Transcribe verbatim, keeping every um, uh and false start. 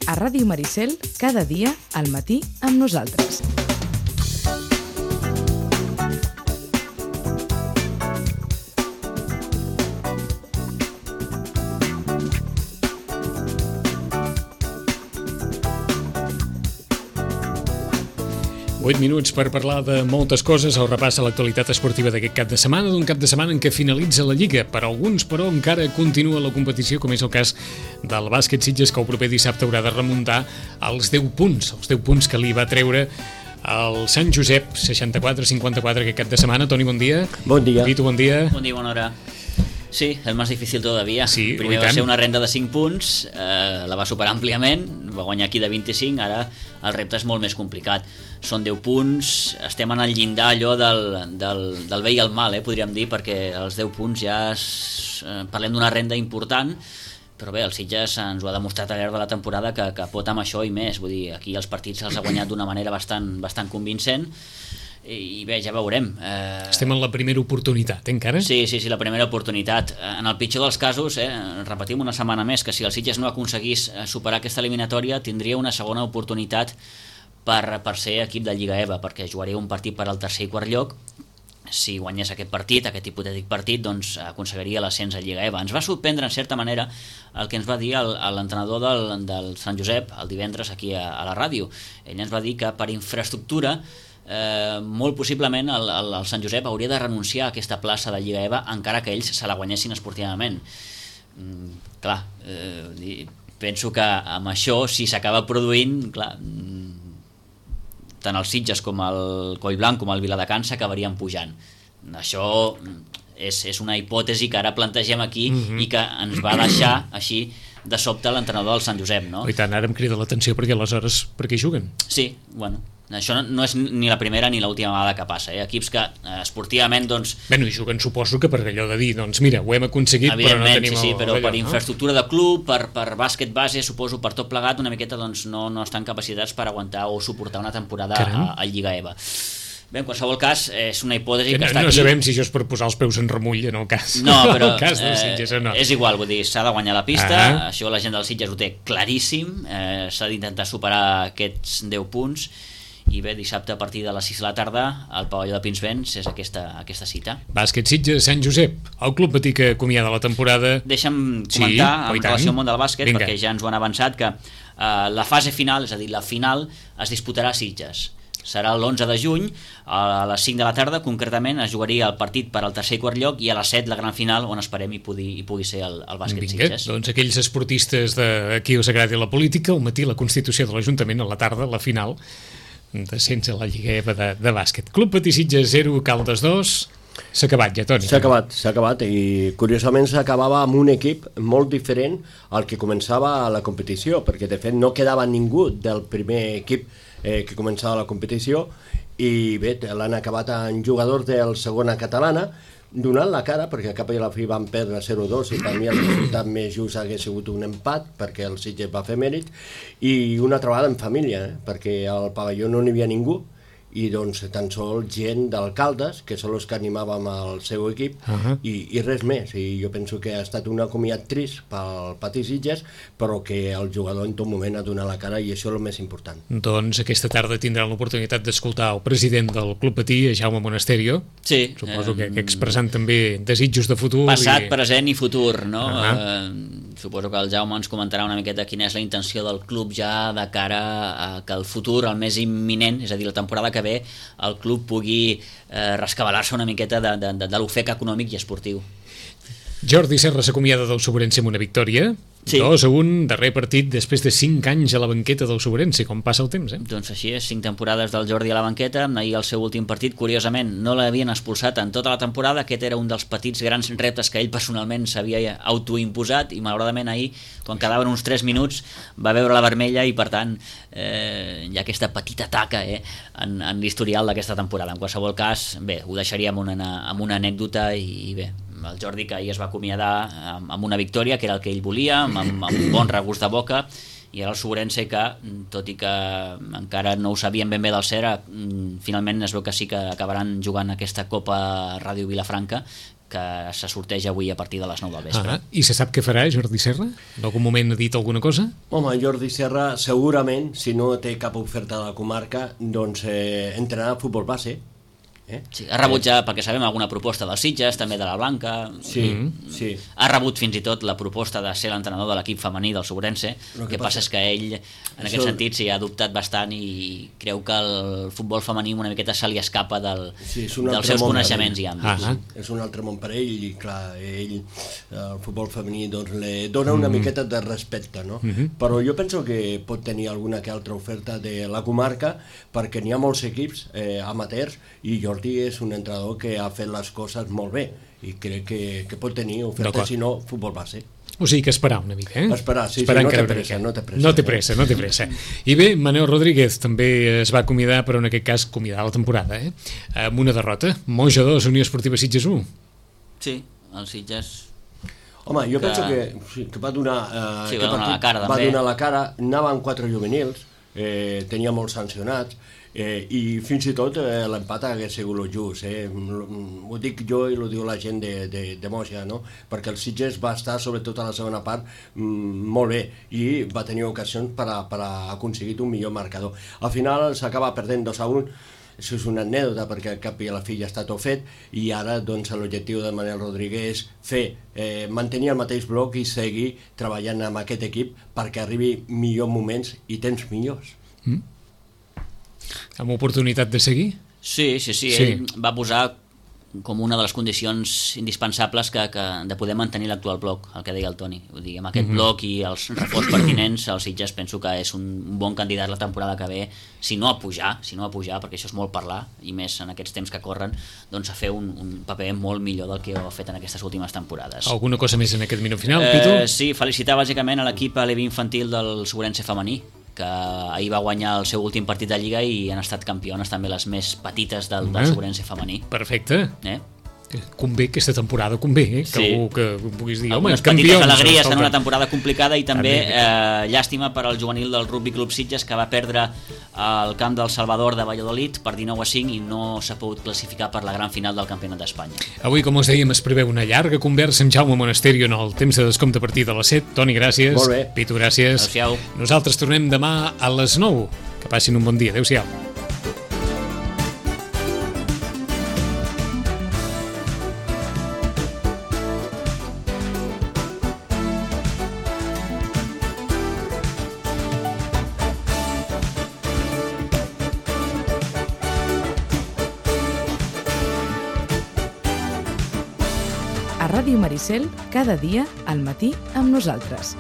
a Ràdio Maricel, cada dia al matí amb nosaltres. vuit minuts per parlar de moltes coses, el repàs a l'actualitat esportiva d'aquest cap de setmana, d'un cap de setmana en què finalitza la Lliga. Per alguns, però, encara continua la competició, com és el cas del bàsquet Sitges, que el proper dissabte haurà de remuntar als deu punts, els deu punts que li va treure el Sant Josep, seixanta-quatre a cinquanta-quatre aquest cap de setmana. Toni, bon dia. Bon dia. Vito, bon dia. Bon dia, bona hora. Sí, el més difícil todavía. Sí, primer va ser una renda de cinc punts, eh, la va superar àmpliament, va guanyar aquí de vint-i-cinc, ara el repte és molt més complicat. Són deu punts, estem en el llindar allò del, del, del bé i el mal, eh, podríem dir, perquè els deu punts ja es, eh, parlem d'una renda important, però bé, el Sitges ens ho ha demostrat al llarg de la temporada que, que pot amb això i més. Vull dir, aquí els partits els ha guanyat d'una manera bastant, bastant convincent, i bé, ja veurem. Eh... Estem en la primera oportunitat, eh, encara? Sí, sí, sí, la primera oportunitat. En el pitjor dels casos, eh, repetim una setmana més, que si el Sitges no aconseguís superar aquesta eliminatòria, tindria una segona oportunitat per, per ser equip de Lliga E V A, perquè jugaria un partit per al tercer i quart lloc. Si guanyés aquest partit, aquest hipotètic partit, doncs aconseguiria l'ascens a Lliga E V A. Ens va sorprendre, en certa manera, el que ens va dir l'entrenador del, del Sant Josep el divendres aquí a, a la ràdio. Ell ens va dir que per infraestructura Eh, molt possiblement el, el, el Sant Josep hauria de renunciar a aquesta plaça de Lliga E V A encara que ells se la guanyessin esportivament. mm, clar, eh, penso que amb això, si s'acaba produint, clar, mm, tant els Sitges com el Collblanc com el Viladecans s'acabarien pujant. Això és, és una hipòtesi que ara plantegem aquí mm-hmm. i que ens va deixar així de sobte l'entrenador del Sant Josep, no? I tant, ara em crida l'atenció perquè aleshores per què juguen? Sí, bueno, això no és ni la primera ni l'última vegada que passa, eh? Equips que eh, esportivament, doncs... Bueno, i juguen, suposo que per allò de dir, doncs mira, ho hem aconseguit, però no tenim... Sí, sí, però allò, per no? infraestructura de club, per, per bàsquet base, suposo, per tot plegat, una miqueta doncs no, no estan capacitats per aguantar o suportar una temporada a, a Lliga E V A. Bé, en qualsevol cas, és una hipòtesi que, que no, està no aquí. No sabem si això és per posar els peus en remull en el cas. No, però el cas del Sitges, eh, no. és igual, vull dir, s'ha de guanyar la pista, ah. això la gent del Sitges ho té claríssim, eh, s'ha d'intentar superar aquests deu punts, i bé, dissabte a partir de les sis de la tarda al pavelló de Pinsbens és aquesta, aquesta cita. Bàsquet Sitges, Sant Josep, el club patí que acomiada la temporada. Deixa'm comentar sí, en relació al món del bàsquet, Vinga. perquè ja ens ho han avançat, que eh, la fase final, és a dir, la final es disputarà a Sitges. Serà l'onze de juny, a les cinc de la tarda, concretament es jugaria el partit per al tercer i quart lloc, i a les set la gran final, on esperem hi pugui, hi pugui ser el, el bàsquet Vinga, Sitges. Doncs aquells esportistes de qui us agradi la política, al matí la constitució de l'Ajuntament, a la tarda la final descens a la Lliga E V A de, de bàsquet. Club Patí Sitges zero, Caldes dos. S'ha acabat ja, Toni. S'ha acabat, s'ha acabat, i curiosament s'acabava amb un equip molt diferent al que començava la competició, perquè de fet no quedava ningú del primer equip eh, que començava la competició, i bé, l'han acabat en jugadors del segona catalana, donant la cara, perquè a cap i a la fi van perdre zero dos, i per mi el resultat més just hagués sigut un empat, perquè el Sitges va fer mèrit, i una trobada en família, eh, perquè al pavelló no n'hi havia ningú, i doncs tan sols gent d'alcaldes, que són els que animàvem al seu equip, uh-huh. i, i res més. I jo penso que ha estat un acomiat trist pel Patí Sitges, però que el jugador en tot moment ha donat la cara, i això és el més important. Doncs aquesta tarda tindran l'oportunitat d'escoltar el president del Club Patí, Jaume Monasterio. Sí. Suposo eh, que, que expressant també desitjos de futur. Passat, i... present i futur, no? Uh-huh. Eh, suposo que el Jaume ens comentarà una miqueta quina és la intenció del club ja de cara a que el futur, el més imminent, és a dir, la temporada que ve, el club pugui eh, rescabalar-se una miqueta de, de, de, de l'ofec econòmic i esportiu. Jordi Serra s'acomiada del Sobrense amb una victòria. Sí. dos a un, darrer partit després de cinc anys a la banqueta del Sobrense, com passa el temps, eh? Doncs així és, cinc temporades del Jordi a la banqueta, ahir el seu últim partit, curiosament, no l'havien expulsat en tota la temporada, aquest era un dels petits grans reptes que ell personalment s'havia autoimposat, i malauradament ahir, quan quedaven uns tres minuts, va veure la vermella, i per tant eh, hi ha aquesta petita taca eh, en, en l'historial d'aquesta temporada. En qualsevol cas, bé, ho deixaria amb una, amb una anècdota, i, i bé, el Jordi, que ahir es va acomiadar amb, amb una victòria, que era el que ell volia, amb, amb un bon regust de boca, i ara el Sobrense, que tot i que encara no ho sabien ben bé del cert, finalment es veu que sí que acabaran jugant aquesta Copa Ràdio Vilafranca, que se sorteja avui a partir de les nou del vespre. Ah, I se sap què farà Jordi Serra? En algun moment ha dit alguna cosa? Home, Jordi Serra segurament, si no té cap oferta de la comarca, doncs eh, entrenarà a futbol base. Eh? Sí, ha rebut ja, perquè sabem, alguna proposta dels Sitges, també de la Blanca. Sí, mm. sí. Ha rebut fins i tot la proposta de ser l'entrenador de l'equip femení del Sobrense. El que, que passa és que ell, en Això... aquest sentit, s'hi ha dubtat bastant i creu que el futbol femení una miqueta se li escapa del, sí, dels seus coneixements i àmbits. Ah, ah. És un altre món per ell i, clar, ell, el futbol femení, doncs, li dona una mm. miqueta de respecte, no? Mm-hmm. Però jo penso que pot tenir alguna que altra oferta de la comarca, perquè n'hi ha molts equips eh, amateurs i Jordi és un entrenador que ha fet les coses molt bé i crec que, que pot tenir oferta, si no, futbol base. O sigui que esperar una mica, eh? Esperar, sí, esperar sí, no té pressa, no té pressa. No té pressa, no té pressa. I bé, Manel Rodríguez també es va acomiadar, però en aquest cas acomiadar la temporada, eh? Amb una derrota. Moja dos, Unió Esportiva Sitges u. Sí, el Sitges... Home, jo que... penso que, sí, que va donar... Eh, sí, va donar la cara, també. Va donar la cara, anaven quatre juvenils, eh, tenia molts sancionats, Eh, i fins i tot eh, l'empat hagués sigut el just, eh? Ho dic jo i ho diu la gent de, de, de Moja, no? Perquè el Sitges va estar, sobretot a la segona part, mm, molt bé i va tenir ocasions per a, per a aconseguir un millor marcador. Al final s'acaba perdent dos a un. Això és una anècdota perquè al cap i a la fi ja està tot fet i ara doncs, l'objectiu de Manel Rodríguez és fer, eh, mantenir el mateix bloc i seguir treballant amb aquest equip perquè arribi millors moments i temps millors. Mm. Amb oportunitat de seguir? Sí, sí, sí, sí. Ell va posar com una de les condicions indispensables que, que de poder mantenir l'actual bloc, el que deia el Toni. Vull dir, amb aquest mm-hmm. bloc i els reforç pertinents, el Sitges penso que és un bon candidat la temporada que ve, si no a pujar, si no a pujar, perquè això és molt parlar, i més en aquests temps que corren, doncs a fer un, un paper molt millor del que ha fet en aquestes últimes temporades. Alguna cosa més en aquest minut final, Pitu? Eh, sí, felicitar bàsicament a l'equip a l'E V infantil del Sobrense femení, que ahir va guanyar el seu últim partit de Lliga i han estat campiones també les més petites del, del Sobrense femení. Perfecte. Eh? Convé aquesta temporada, convé, eh? Que sí. algú que puguis dir, home, campions. Petites alegries en una temporada complicada i també eh, llàstima per al juvenil del Rugby Club Sitges que va perdre el camp del Salvador de Valladolid per dinou a cinc i no s'ha pogut classificar per la gran final del Campionat d'Espanya. Avui, com us dèiem, es preveu una llarga conversa amb Jaume Monasterio en el temps de descompte a partir de les set. Toni, gràcies. Molt bé. Pitu, gràcies. Adéu-siau. Nosaltres tornem demà a les nou. Que passin un bon dia. Adéu-siau. A Ràdio Maricel, cada dia al matí amb nosaltres.